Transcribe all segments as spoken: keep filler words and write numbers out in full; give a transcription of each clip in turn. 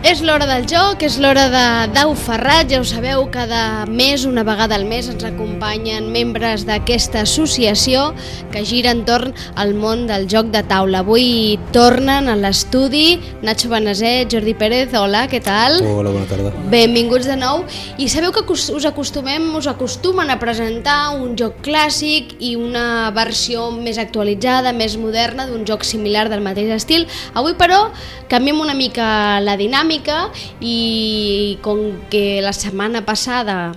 És l'hora del joc, és l'hora de Dau Ferrat, ja ho sabeu, cada mes, una vegada al mes, ens acompanyen membres d'aquesta associació que gira entorn al món del joc de taula. Avui tornen a l'estudi Nacho Benaset, Jordi Pérez, hola, què tal? Hola, bona tarda. Benvinguts de nou. I sabeu que us acostumem, us acostumen a presentar un joc clàssic i una versió més actualitzada, més moderna, d'un joc similar del mateix estil. Avui, però, canviem una mica la dinàmica i com que la setmana passada,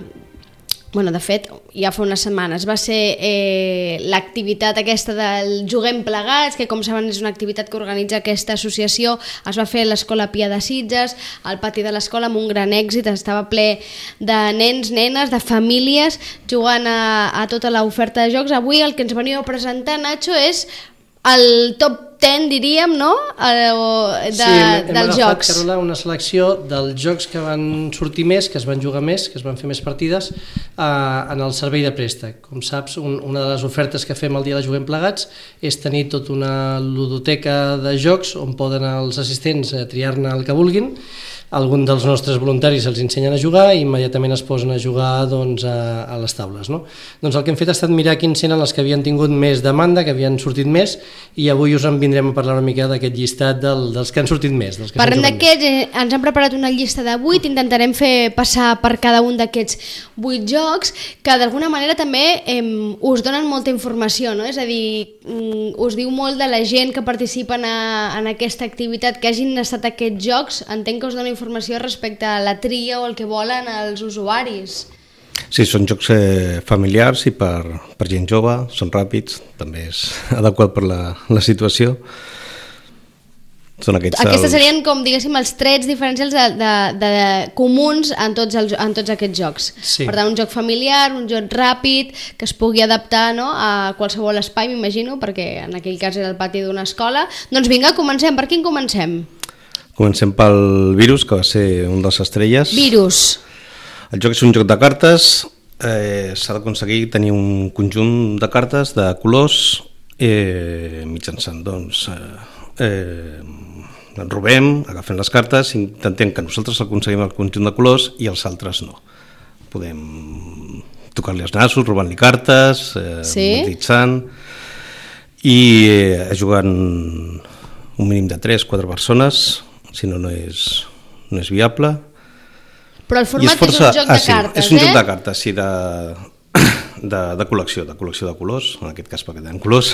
bueno, de fet, ja fa unes setmanes, va ser eh, l'activitat aquesta del Juguem Plegats, que com saben és una activitat que organitza aquesta associació, es va fer a l'Escola Pia de Sitges, al pati de l'escola, amb un gran èxit, estava ple de nens, nenes, de famílies, jugant a, a tota l'oferta de jocs. Avui el que ens veniu a presentar, Nacho, és el top deu, diríem, no? De, sí, hem, hem dels agafat, jocs. Carola, una selecció dels jocs que van sortir més, que es van jugar més, que es van fer més partides eh, en el servei de préstec. Com saps, un, una de les ofertes que fem el dia de Juguem Plegats és tenir tota una ludoteca de jocs on poden els assistents triar-ne el que vulguin. Algun dels nostres voluntaris els ensenyen a jugar i immediatament es posen a jugar doncs, a, a les taules. No? Doncs el que hem fet ha estat mirar quins eren els que havien tingut més demanda, que havien sortit més, i avui us en vindrem a parlar una mica d'aquest llistat del, dels que han sortit més. Dels que Parlem d'aquests, eh, ens han preparat una llista de vuit, intentarem fer passar per cada un d'aquests vuit jocs, que d'alguna manera també eh, us donen molta informació, no? És a dir, mm, us diu molt de la gent que participa en, a, en aquesta activitat, que hagin estat aquests jocs, entenc que us dona informació respecte a la tria o el que volen els usuaris. Sí, són jocs eh, familiars i per, per gent jove, són ràpids, també és adequat per la, la situació. Són aquests Aquestes els... serien, com diguéssim, els trets diferencials de, de, de, comuns en tots, els, en tots aquests jocs. Sí. Per tant, un joc familiar, un joc ràpid, que es pugui adaptar, no?, a qualsevol espai, m'imagino, perquè en aquell cas era el pati d'una escola. Doncs vinga, comencem. Per quin comencem? Comencem pel Virus, que va ser un dels estrelles. Virus. El joc és un joc de cartes, eh, s'ha d'aconseguir tenir un conjunt de cartes de colors eh, mitjançant, doncs, eh, eh, ens robem, agafem les cartes, intentem que nosaltres aconseguim el conjunt de colors i els altres no. Podem tocar-li els nassos, robant-li cartes, eh, sí? magnetitzant, i eh, jugant un mínim de tres quatre persones, si no, no és, no és viable. Però el format és, força... és un joc ah, de sí, cartes, és un eh? joc de cartes, sí, de, de, de col·lecció, de col·lecció de colors, en aquest cas perquè tenen colors,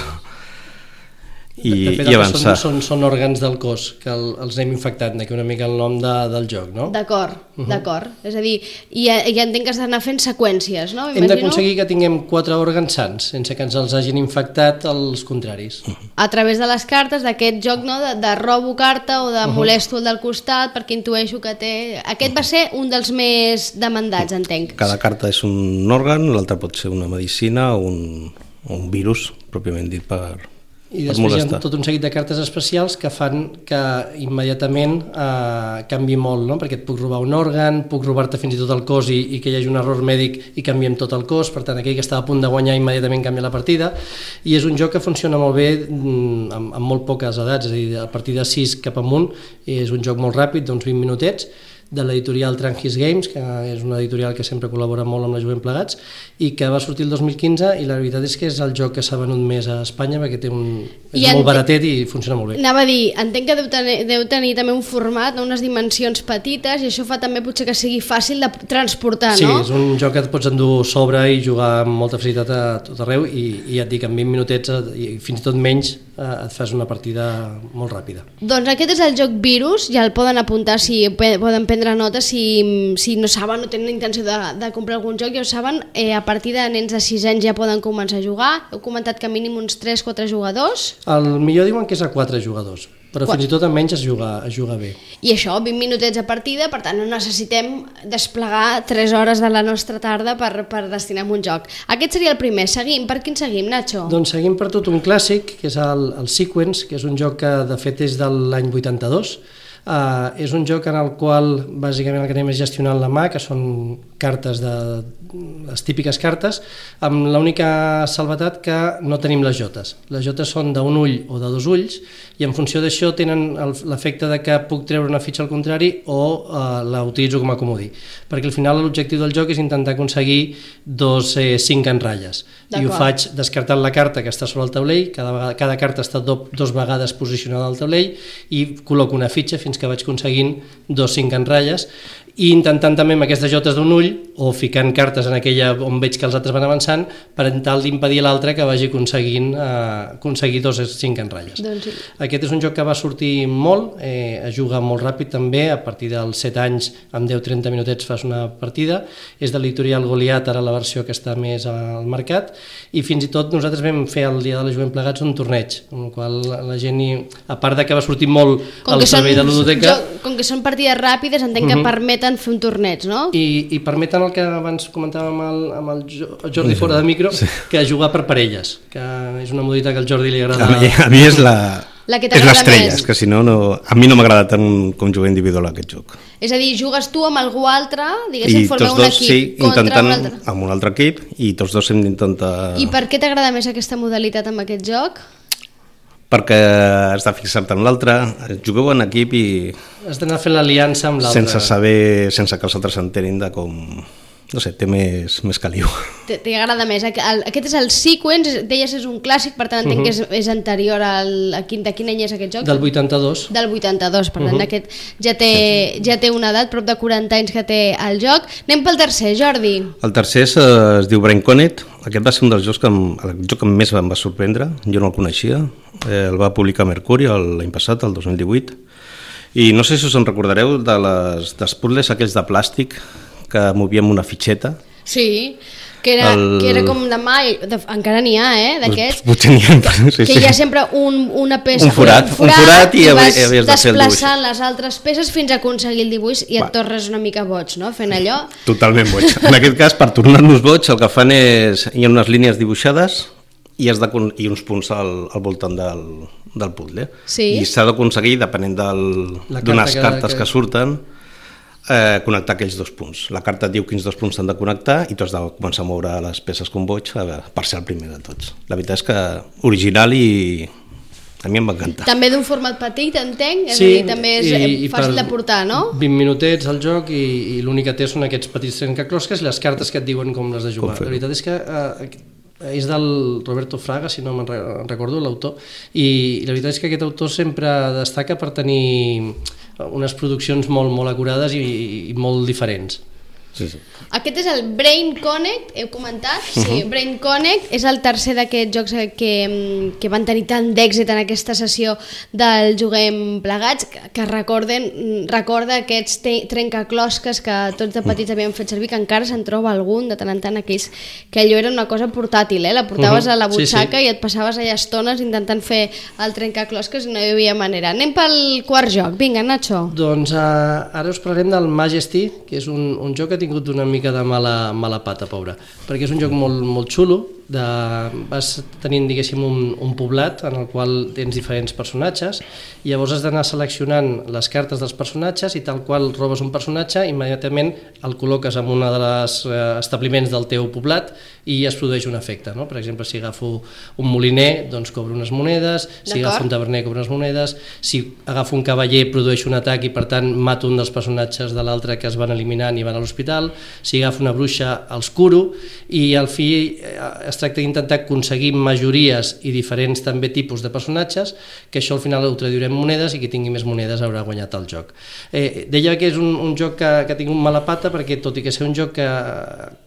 i, de fet, i avançar. Són, són, són òrgans del cos que el, els hem infectat, d'aquí una mica el nom de, del joc, no? D'acord, uh -huh. d'acord. És a dir, i, i entenc que s'ha d'anar fent seqüències, no? Hem d'aconseguir que tinguem quatre òrgans sants, sense que ens els hagin infectat els contraris. Uh -huh. A través de les cartes, d'aquest joc, no?, de, de robo carta o de Uh-huh. molesto el del costat, perquè intueixo que té... Aquest va ser un dels més demandats, entenc. Cada carta és un òrgan, l'altra pot ser una medicina o un, o un virus, pròpiament dit, per... I després hi ha tot un seguit de cartes especials que fan que immediatament eh, canvi molt, no? Perquè et puc robar un òrgan, puc robar-te fins i tot el cos i, i que hi hagi un error mèdic i canviem tot el cos, per tant aquell que estava a punt de guanyar immediatament canvia la partida, i és un joc que funciona molt bé mm, amb, amb molt poques edats, és a dir, a partir de sis cap amunt, és un joc molt ràpid, d'uns vint minutets, de l'editorial Tranquis Games, que és una editorial que sempre col·labora molt amb la Juguem Plegats, i que va sortir el dos mil quinze, i la veritat és que és el joc que s'ha venut més a Espanya, perquè té un, és I molt baratet i funciona molt bé. Anava a dir, entenc que deu tenir, deu tenir també un format, no? Unes dimensions petites, i això fa també potser que sigui fàcil de transportar, sí, no? Sí, és un joc que et pots endur sobre i jugar amb molta facilitat a tot arreu, i, i ja et dic, en vint minutets, i fins i tot menys, eh, et fas una partida molt ràpida. Doncs aquest és el joc Virus, ja el poden apuntar, si poden prendre notes, si, si no saben o tenen intenció de, de comprar algun joc, ja ho saben, eh, a partir de nens de sis anys ja poden començar a jugar. Heu comentat que mínim uns tres quatre jugadors. El millor diuen que és a quatre jugadors, però Quatre. fins i tot amb menys es juga, es juga bé. I això, vint minutets a partida, per tant no necessitem desplegar tres hores de la nostra tarda per, per destinar a un joc. Aquest seria el primer. Seguim. Per quin seguim, Nacho? Doncs seguim per tot un clàssic, que és el, el Sequence, que és un joc que de fet és de l'any vuitanta-dos. Uh, és un joc en el qual bàsicament el que anem és gestionant la mà, que són cartes de les típiques cartes, amb l'única salvetat que no tenim les jotes. Les jotes són d'un ull o de dos ulls i en funció d'això tenen l'efecte de que puc treure una fitxa al contrari o uh, la utilitzo com a comodí, perquè al final l'objectiu del joc és intentar aconseguir dos eh, cinc en ratlles i ho faig descartant la carta que està sobre el taulell, cada, vegada, cada carta està do, dos vegades posicionada al taulell i col·loco una fitxa fins que vaig aconseguint dos cinc en ratlles i intentant també amb aquestes jotes d'un ull o ficant cartes en aquella on veig que els altres van avançant per tal d'impedir l'altre que vagi aconseguint eh, aconseguir dos cinc en ratlles. Doncs sí. Aquest és un joc que va sortir molt, eh, es juga molt ràpid també, a partir dels set anys amb deu trenta minutets fas una partida, és de l'editorial Goliat, ara la versió que està més al mercat, i fins i tot nosaltres vam fer el dia de la Jovent Plegats un torneig, en el qual la gent, a part de que va sortir molt al servei de l'Udoteca... Com que són partides ràpides, entenc que uh -huh. permeten fer un torneig, no? I, i permeten el que abans comentàvem amb el, amb el Jordi fora de micro, sí. que jugar per parelles, que és una modalitat que al Jordi li agrada. A mi, a mi és la... La que és l'estrella, que si no, no, a mi no m'agrada tant com jugar individual aquest joc. És a dir, jugues tu amb algú altre, diguéssim, formeu un equip sí, contra un altre. Amb un altre equip i tots dos hem d'intentar... I per què t'agrada més aquesta modalitat amb aquest joc? Perquè has de fixar-te en l'altre, jugueu en equip i... Has d'anar fent l'aliança amb l'altre. Sense saber, sense que els altres s'enterin de com... No sé, té més, més caliu. T'agrada més. Aquest és el Sequence, deies és un clàssic, per tant entenc uh -huh. que és, és anterior al... A quin, de quin any és aquest joc? Del vuitanta-dos. Del vuitanta-dos, per tant uh -huh. aquest ja té, ja té una edat, prop de quaranta anys que té el joc. Anem pel tercer, Jordi. El tercer es, es diu Brain Connect. Aquest va ser un dels jocs que, em, el joc que més em va sorprendre, jo no el coneixia. Eh, el va publicar Mercuri l'any passat, el dos mil divuit. I no sé si us en recordareu de les, dels puzzles aquells de plàstic que movíem una fitxeta. Sí, que era, el... que era com de mà, de, encara n'hi ha, eh, d'aquests, potser n'hi ha, sí, que sí. hi ha sempre un, una peça, un forat, un forat, un forat i, i vas havies de fer el desplaçant les altres peces fins a aconseguir el dibuix i Va. et tornes una mica boig, no?, fent allò. Totalment boig. En aquest cas, per tornar-nos boig, el que fan és, hi ha unes línies dibuixades i, has de, i uns punts al, al voltant del, del puzzle. Sí. I s'ha d'aconseguir, depenent d'unes carta cartes que, que surten, Eh, connectar aquells dos punts. La carta et diu quins dos punts s'han de connectar i tu has de començar a moure les peces com boig per ser el primer de tots. La veritat és que original i a mi em va encantar. També d'un format petit, entenc? És sí, a dir, també és i, fàcil de portar, no? vint minutets al joc i, i l'únic que té són aquests petits trencaclosques i les cartes que et diuen com les de jugar. La veritat és que eh, és del Roberto Fraga, si no me'n recordo, l'autor, i la veritat és que aquest autor sempre destaca per tenir unes produccions molt, molt acurades i, i molt diferents. Sí, sí. Aquest és el Brain Connect, heu comentat? Sí, uh-huh. Brain Connect és el tercer d'aquests jocs que, que van tenir tant d'èxit en aquesta sessió del Juguem Plegats, que, que recorden, recorda aquests trencaclosques que tots de petits havíem fet servir, que encara se'n troba algun de tant en tant, aquells que allò era una cosa portàtil, eh? La portaves uh-huh. a la butxaca sí, sí. i et passaves allà estones intentant fer el trencaclosques i no hi havia manera. Anem pel quart joc, vinga, Nacho. Doncs uh, ara us parlarem del Majesty, que és un, un joc que ha tingut una mica de mala, mala pata, pobra, perquè és un joc molt, molt xulo, de, vas tenint, diguéssim, un, un poblat en el qual tens diferents personatges i llavors has d'anar seleccionant les cartes dels personatges i tal qual robes un personatge, immediatament el col·loques en un dels eh, establiments del teu poblat i es produeix un efecte, no? Per exemple, si agafo un moliner, doncs cobro unes monedes, si agafo un taverner cobro unes monedes, si agafo un cavaller produeixo un atac i per tant mato un dels personatges de l'altre que es van eliminant i van a l'hospital, si agafo una bruixa els curo i al fi es tracta d'intentar aconseguir majories i diferents també tipus de personatges, que això al final ho traduirem en monedes i qui tingui més monedes haurà guanyat el joc. Eh, deia que és un, un joc que, que ha tingut mala pata perquè tot i que ser un joc que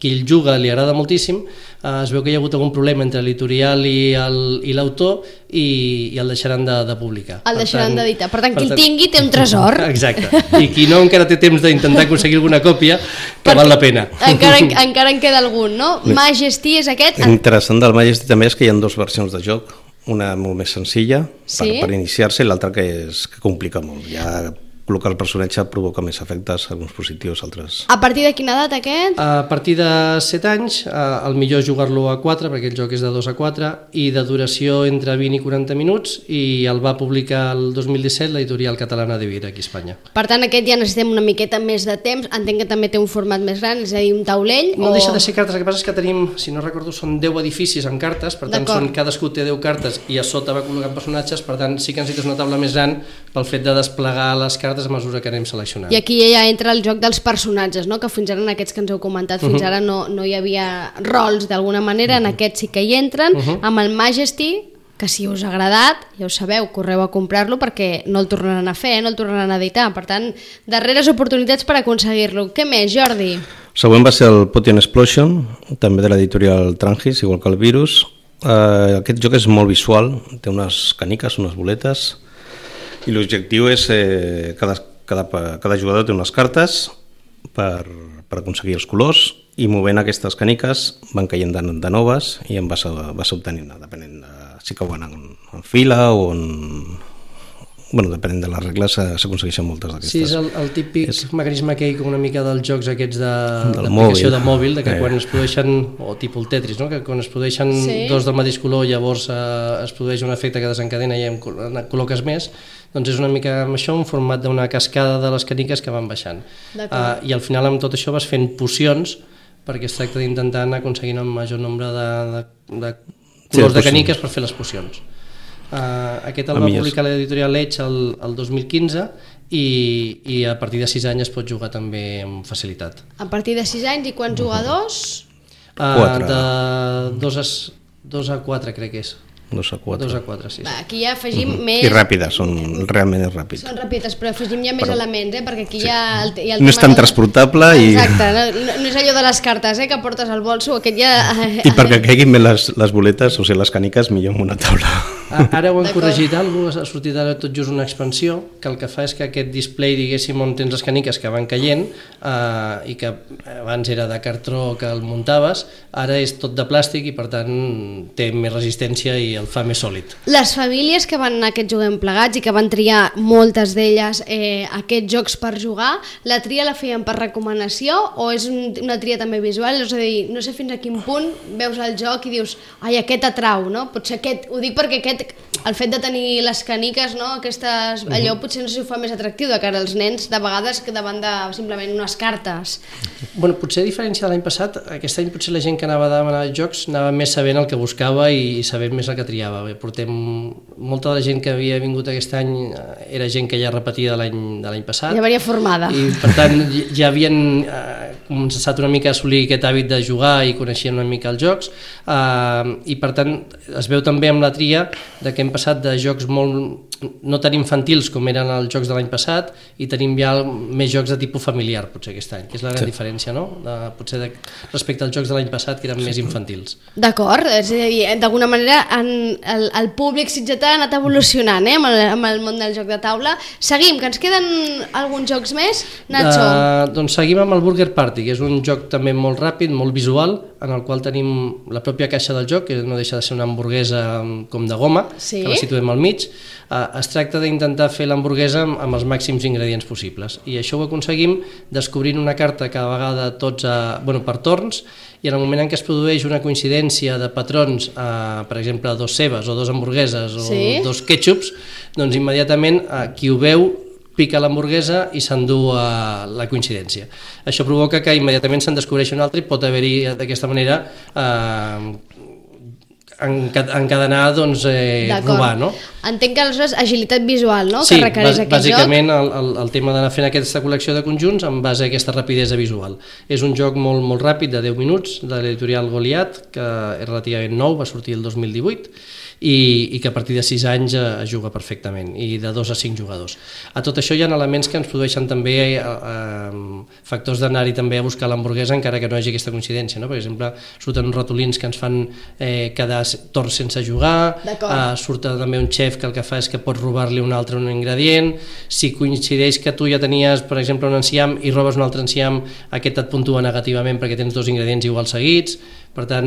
qui el juga li agrada moltíssim, eh, es veu que hi ha hagut algun problema entre l'editorial i l'autor i, i el deixaran de, de publicar. El deixaran d'editar. Per tant, per qui el tingui té un tresor. Exacte. I qui no encara té temps d'intentar aconseguir alguna còpia, que Perquè val la pena. Encara, encara en queda algun, no? Majesty és aquest... Interessant del Majesty també és que hi ha dues versions de joc, una molt més senzilla sí? per, per iniciar-se i l'altra que, és, que complica molt. Hi ha col·locar el personatge provoca més efectes, alguns positius, altres... A partir de quina edat aquest? A partir de set anys, el millor és jugar-lo a quatre, perquè el joc és de dos a quatre, i de duració entre vint i quaranta minuts, i el va publicar el dos mil disset l'editorial catalana de Vir, aquí a Espanya. Per tant, aquest ja necessitem una miqueta més de temps, entenc que també té un format més gran, és a dir, un taulell... No o... deixa de ser cartes, el que passa és que tenim, si no recordo, són deu edificis amb cartes, per tant, són, cadascú té deu cartes, i a sota va col·locant personatges, per tant, sí que necessites una taula més gran pel fet de desplegar les cartes a mesura que anem seleccionant. I aquí ja entra el joc dels personatges, no? Que fins ara en aquests que ens heu comentat, fins ara no, no hi havia rols d'alguna manera, en aquests sí que hi entren, amb el Majesty, que si us ha agradat, ja ho sabeu, correu a comprar-lo perquè no el tornaran a fer, no el tornaran a editar, per tant, darreres oportunitats per aconseguir-lo. Què més, Jordi? Següent va ser el Potion Explosion, també de l'editorial Trangis, igual que el Virus. Uh, aquest joc és molt visual, té unes caniques, unes boletes, i l'objectiu és eh, cada, cada, cada jugador té unes cartes per, per aconseguir els colors, i movent aquestes caniques van caient de, de noves i en vas, vas obtenint, depenent de si cauen en, en fila o en... Bueno, depenent de les regles s'aconsegueixen moltes d'aquestes. Sí, és el, el típic és... mecanisme que hi ha una mica dels jocs aquests mòbil. d'aplicació de mòbil, de que eh. quan es produeixen, o tipus el Tetris, no? Que quan es produeixen sí. dos del mateix color, llavors eh, es produeix un efecte que desencadena i en col·loques més, doncs és una mica amb això, un format d'una cascada de les caniques que van baixant. Uh, I al final amb tot això vas fent pocions, perquè es tracta d'intentar anar aconseguint un major nombre de, de, de colors sí, de caniques per fer les pocions. Uh, aquest el va publicar l'editorial Edge el, el dos mil quinze i, i a partir de sis anys es pot jugar també amb facilitat. A partir de sis anys i quants jugadors? Uh, de dos a, dos a quatre crec que és. dos a quatre. dos a quatre, sí. Va, aquí ja afegim uh -huh. més... I ràpides, són realment ràpids. Són ràpides, però afegim ja més però, elements, eh? Perquè aquí sí. hi ha el, hi ha el no és tan transportable i... Exacte, no, no és allò de les cartes, eh? Que portes al bolso, aquest ja... I perquè caiguin bé les, les boletes, o sigui, les caniques, millor en una taula. Ara ho han corregit alguna cosa, ha sortit ara tot just una expansió, que el que fa és que aquest display, diguéssim, on tens les caniques que van caient, eh, i que abans era de cartró que el muntaves, ara és tot de plàstic i per tant té més resistència i el fa més sòlid. Les famílies que van a aquest juguem plegats i que van triar moltes d'elles eh, aquests jocs per jugar, la tria la feien per recomanació o és un, una tria també visual? És a dir, no sé fins a quin punt veus el joc i dius, ai, aquest atrau, no? Potser aquest, ho dic perquè aquest, el fet de tenir les caniques, no? Aquestes, allò potser no sé si ho fa més atractiu de cara als nens, de vegades que davant de simplement unes cartes. Bueno, potser a diferència de l'any passat, aquest any potser la gent que anava a demanar jocs anava més sabent el que buscava i sabent més el que triava. Bé, portem, molta de la gent que havia vingut aquest any era gent que ja repetia de l'any de l'any passat. Ja venia formada. I per tant ja havien eh, començat una mica a assolir aquest hàbit de jugar i coneixien una mica els jocs, eh, i per tant es veu també amb la tria de que hem passat de jocs molt no tan infantils com eren els jocs de l'any passat i tenim ja més jocs de tipus familiar potser aquest any, que és la gran sí. diferència, no? De, potser de, respecte als jocs de l'any passat que eren sí. més infantils. D'acord, és a dir, d'alguna manera en, el, el públic sitgetà ha anat evolucionant, eh, amb, el, amb el món del joc de taula. Seguim, que ens queden alguns jocs més, Nacho? Uh, doncs seguim amb el Burger Party, que és un joc també molt ràpid, molt visual, en el qual tenim la pròpia caixa del joc, que no deixa de ser una hamburguesa com de goma, sí? que la situem al mig. Uh, es tracta d'intentar fer l'hamburguesa amb, amb els màxims ingredients possibles i això ho aconseguim descobrint una carta cada vegada tots a, bueno, per torns, i en el moment en què es produeix una coincidència de patrons, uh, per exemple dos cebes o dos hamburgueses o sí? dos ketchups, doncs immediatament uh, qui ho veu pica l'hamburguesa i s'endú a la coincidència. Això provoca que immediatament se'n descobreixi un altre i pot haver-hi d'aquesta manera eh, encadenar, doncs, eh, robar, no? Entenc que aleshores agilitat visual, no? Sí, que requereix aquest bàsicament joc. el, el, el tema d'anar fent aquesta col·lecció de conjunts en base a aquesta rapidesa visual. És un joc molt, molt ràpid, de deu minuts, de l'editorial Goliat, que és relativament nou, va sortir el dos mil divuit, i, i que a partir de sis anys es juga perfectament, i de dos a cinc jugadors. A tot això hi ha elements que ens produeixen també eh, eh, factors d'anar-hi també a buscar l'hamburguesa encara que no hi hagi aquesta coincidència, no? Per exemple, surten uns ratolins que ens fan eh, quedar torns sense jugar, eh, surt també un xef que el que fa és que pot robar-li un altre un ingredient, si coincideix que tu ja tenies, per exemple, un enciam i robes un altre enciam, aquest et puntua negativament perquè tens dos ingredients igual seguits. Per tant,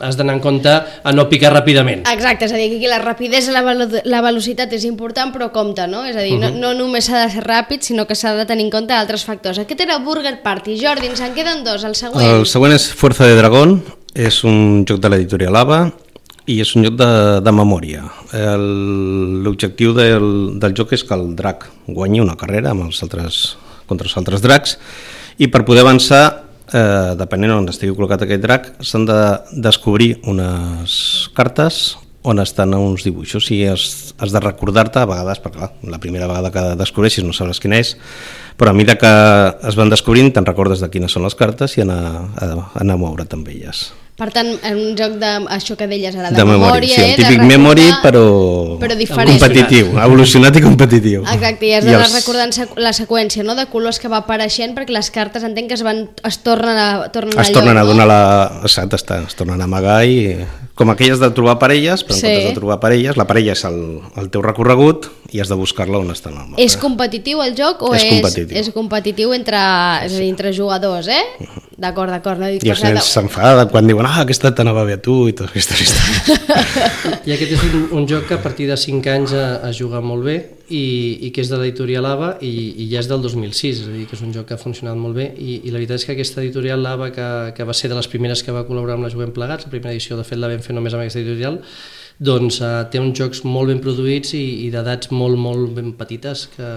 has d'anar en compte a no picar ràpidament. Exacte, és a dir, que aquí la rapidesa, la, velo- la velocitat és important, però compte, no? És a dir, uh-huh. no, no només s'ha de ser ràpid, sinó que s'ha de tenir en compte altres factors. Aquest era Burger Party. Jordi, ens en queden dos, el següent. El següent és Fuerza de Dragón, és un joc de l'editorial Ava i és un joc de, de memòria. El, l'objectiu del, del joc és que el drac guanyi una carrera amb els altres, contra els altres dracs, i per poder avançar, Eh, depenent on estigui col·locat aquest drac, s'han de descobrir unes cartes on estan uns dibuixos i has, has de recordar-te a vegades, perquè clar, la primera vegada que descobreixis no sabràs quina és, però a mesura que es van descobrint te'n recordes de quines són les cartes i anar a, a anar a moure't amb elles. Per tant, en un joc de, això que deies ara, de, de memòria, memòria, sí, eh, un típic recordar, memory però, però diferent. competitiu, evolucionat i competitiu. Exacte, i has d'anar els... recordant sequ- la seqüència, no?, de colors que va apareixent, perquè les cartes entenc que es, van, es tornen a, tornen es a tornen lloc, a donar no? la... Exacte, està, es tornen a amagar i... Com aquelles de trobar parelles, però en Sí. comptes de trobar parelles, la parella és el, el teu recorregut i has de buscar-la on està el mapa. És competitiu el joc o És és, competitiu. és competitiu entre, és a dir, entre jugadors, eh? D'acord, d'acord. No? I els nens s'enfaden quan diuen ah, aquesta t'anava bé a tu i totes aquestes històries. I aquest és un, un joc que a partir de cinc anys es juga molt bé i, i que és de l'editorial Ava i, i ja és del dos mil sis, és a dir, que és un joc que ha funcionat molt bé i, i la veritat és que aquesta editorial Ava, que, que va ser de les primeres que va col·laborar amb la Juguem Plegats, la primera edició de fet la vam fer només amb aquesta editorial, doncs uh, té uns jocs molt ben produïts i, i d'edats molt, molt ben petites que,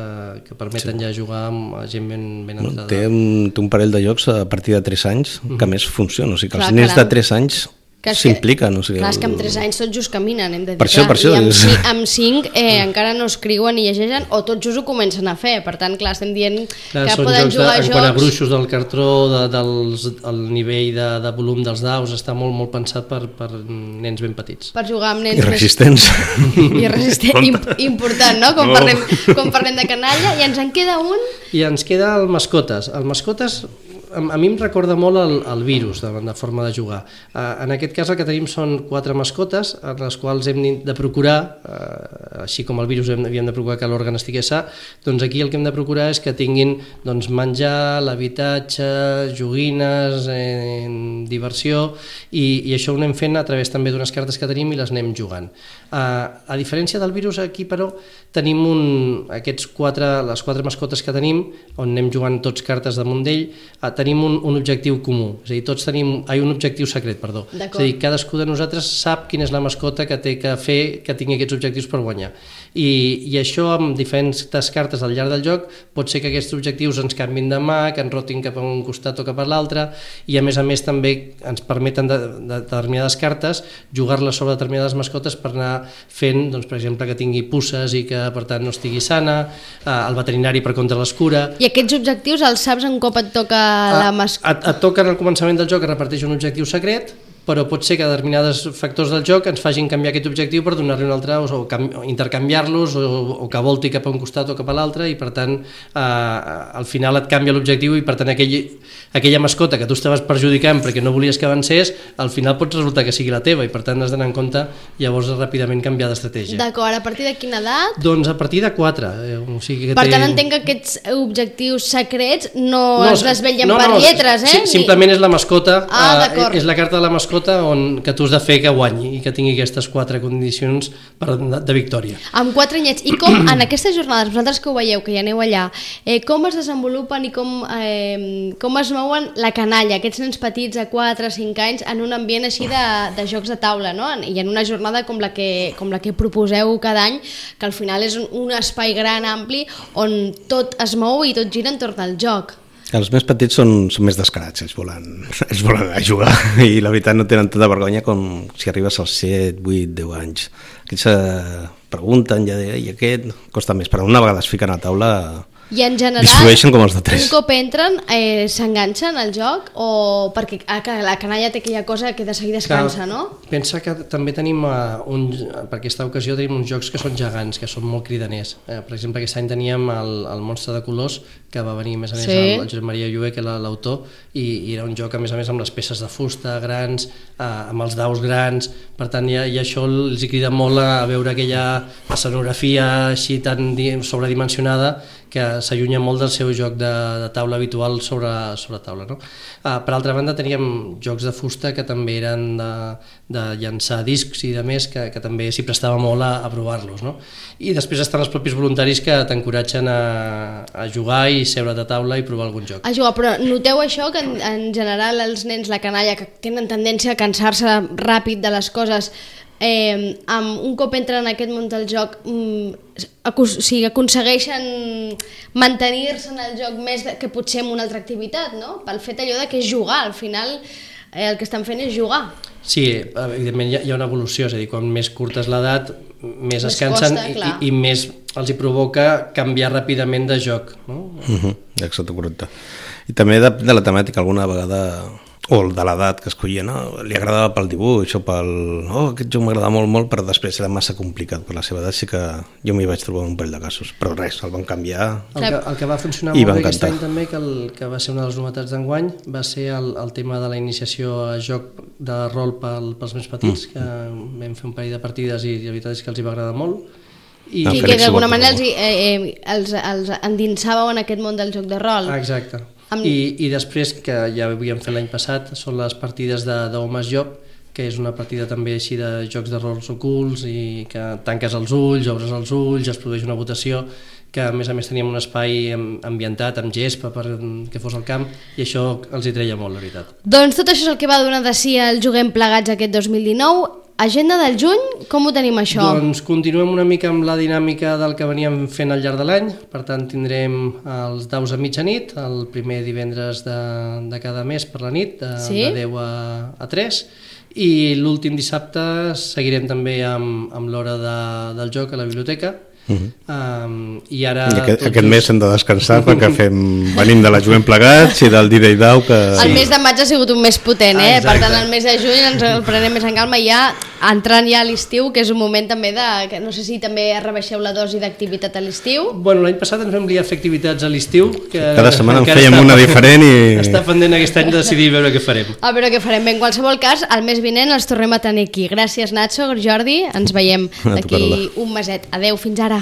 que permeten sí. ja jugar amb gent ben, ben No, entrada. té, un, té un parell de jocs a partir de tres anys que Mhm. més funciona, o sigui que Clar, els nens caram. de tres anys Que és que- s'impliquen. O sigui, Clar, és que amb tres anys tots just caminen, hem de dir. Per això, clar, per això, I amb, és- ci- amb cinc eh, encara no escriuen ni llegeixen, o tots just ho comencen a fer. Per tant, clar, estem dient Clar, que són poden jocs jugar de, a en quant a jocs... gruixos del cartró, de, dels, el nivell de, de volum dels daus, està molt molt pensat per, per nens ben petits. Per jugar amb nens I resistents. més... I resistent, Im, important, no? Quan, No. parlem, quan parlem de canalla. I ens en queda un... I ens queda el Mascotes. El Mascotes a, a mi em recorda molt el, el virus de, de forma de jugar. Uh, en aquest cas el que tenim són quatre mascotes en les quals hem de procurar, uh, així com el virus hem, havíem de procurar que l'òrgan estigui sa, doncs aquí el que hem de procurar és que tinguin doncs, menjar, l'habitatge, joguines, eh, diversió, i, i això ho anem fent a través també d'unes cartes que tenim i les anem jugant. Uh, a diferència del virus, aquí però tenim un, aquests quatre, les quatre mascotes que tenim, on anem jugant tots cartes damunt d'ell, uh, tenim un, un objectiu comú, és a dir, tots tenim ai, un objectiu secret, perdó. És a dir, cadascú de nosaltres sap quina és la mascota que té que fer que tingui aquests objectius per guanyar. I, i això amb diferents cartes al llarg del joc pot ser que aquests objectius ens canvin de mà, que ens rotin cap a un costat o cap a l'altre, i a més a més també ens permeten de, de determinades cartes jugar-les sobre determinades mascotes per anar fent, doncs, per exemple, que tingui pusses i que per tant no estigui sana, eh, el veterinari per contra l'escura. I aquests objectius els saps un cop et toca la mascota? Et, et toca al començament del joc, es reparteix un objectiu secret, però pot ser que determinats factors del joc ens facin canviar aquest objectiu per donar-li un altre, o, o, o intercanviar-los, o, o que volti cap a un costat o cap a l'altre, i per tant eh, al final et canvia l'objectiu, i per tant aquell, aquella mascota que tu estaves perjudicant perquè no volies que avancés, al final pot resultar que sigui la teva, i per tant has d'anar en compte llavors ràpidament canviar d'estratègia. D'acord, a partir de quina edat? Doncs a partir de quatre. Eh, o sigui que Per té... tant, entenc que aquests objectius secrets no, No, es desvetllen no, per no, lletres, eh? Sí, simplement és la mascota, Ah, eh, d'acord. és la carta de la mascota on, que tu has de fer que guanyi i que tingui aquestes quatre condicions per, de, de victòria. Amb quatre anyets. I com en aquestes jornades, vosaltres que ho veieu, que hi aneu allà, eh, com es desenvolupen i com, eh, com es mouen la canalla, aquests nens petits a quatre o cinc anys en un ambient així de, de jocs de taula, no? I en una jornada com la, que, com la que proposeu cada any, que al final és un, un espai gran, ampli, on tot es mou i tot gira entorn al joc. Els més petits són, són més descarats, ells volen, ells volen a jugar i la veritat no tenen tanta vergonya com si arribes als set, vuit, deu anys. Aquests se pregunten ja de, i aquest costa més, però una vegada es fiquen a taula I en general, distribueixen com els de tres. un cop entren, eh, s'enganxen al joc o perquè a, la canalla té aquella cosa que de seguida es cansa, no? Pensa que també tenim, uh, un, per aquesta ocasió, tenim uns jocs que són gegants, que són molt cridaners. Eh, per exemple, aquest any teníem el, el Monstre de Colors, que va venir, a més a més, sí. el, el Josep Maria Llué, que era l'autor, i, i era un joc, a més a més, amb les peces de fusta grans, eh, amb els daus grans, per tant, i, i això els hi crida molt a veure aquella escenografia així tan sobredimensionada que s'allunya molt del seu joc de, de taula habitual sobre, sobre taula. No? Uh, per altra banda, teníem jocs de fusta que també eren de, de llançar discs i de més, que, que també s'hi prestava molt a, a provar-los. No? I després estan els propis voluntaris que t'encoratgen a, a jugar i seure a taula i provar algun joc. A jugar, però noteu això, que en, en general els nens, la canalla, que tenen tendència a cansar-se ràpid de les coses, Eh, amb un cop entren en aquest món del joc mm, acus, o sigui, aconsegueixen mantenir-se en el joc més de, que potser en una altra activitat, no? Pel fet allò de que és jugar, al final eh, el que estan fent és jugar. Sí, evidentment hi ha, hi ha una evolució, és a dir, quan més curta és l'edat més es cansen costa, i, i més els hi provoca canviar ràpidament de joc, no? Uh-huh, exacte, correcte. I també de, de la temàtica, alguna vegada, o de l'edat que escollia, no? Li agradava pel dibuix o pel... Oh, aquest joc m'agradava molt, molt, però després era massa complicat per la seva edat, sí que jo m'hi vaig trobar un parell de casos, però res, el van canviar. El que, el que va funcionar molt bé aquest any també, que, el, que va ser una de les novetats d'enguany, va ser el, el tema de la iniciació a joc de rol pel, pels més petits, mm. que vam fer un parell de partides i la veritat és que els hi va agradar molt. I, no, I que d'alguna manera els, eh, eh, els, els endinsàveu en aquest món del joc de rol. Exacte. Amb... I, I després, que ja ho havíem fet l'any passat, són les partides de d'Homes Joc, que és una partida també així de jocs de rols ocults i que tanques els ulls, obres els ulls, es produeix una votació, que a més a més teníem un espai ambientat amb gespa per que fos el camp, i això els hi treia molt, la veritat. Doncs tot això és el que va donar de si el Juguem Plegats aquest dos mil dinou. Agenda del juny, com ho tenim això? Doncs continuem una mica amb la dinàmica del que veníem fent al llarg de l'any, per tant tindrem els daus a mitjanit, el primer divendres de, de cada mes per la nit, de, sí? de deu a, a tres, i l'últim dissabte seguirem també amb, amb l'hora de, del joc a la biblioteca. Uh-huh. um, i ara I aquest, aquest just... mes hem de descansar perquè fem, venim de la Juguem Plegats i del Dida i Dau que... El mes de maig ha sigut un mes potent, eh? Per tant el mes de juny ens el prenem més en calma, ja entrant ja a l'estiu, que és un moment també de... Que no sé si també rebaixeu la dosi d'activitat a l'estiu. Bueno, l'any passat ens vam liar a fer activitats a l'estiu, que cada setmana en fèiem una diferent i... Està pendent aquest any de decidir veure què farem. A veure què farem. Bé, en qualsevol cas, el mes vinent els tornem a tenir aquí. Gràcies, Nacho, Jordi, ens veiem d'aquí un meset. Adeu, fins ara.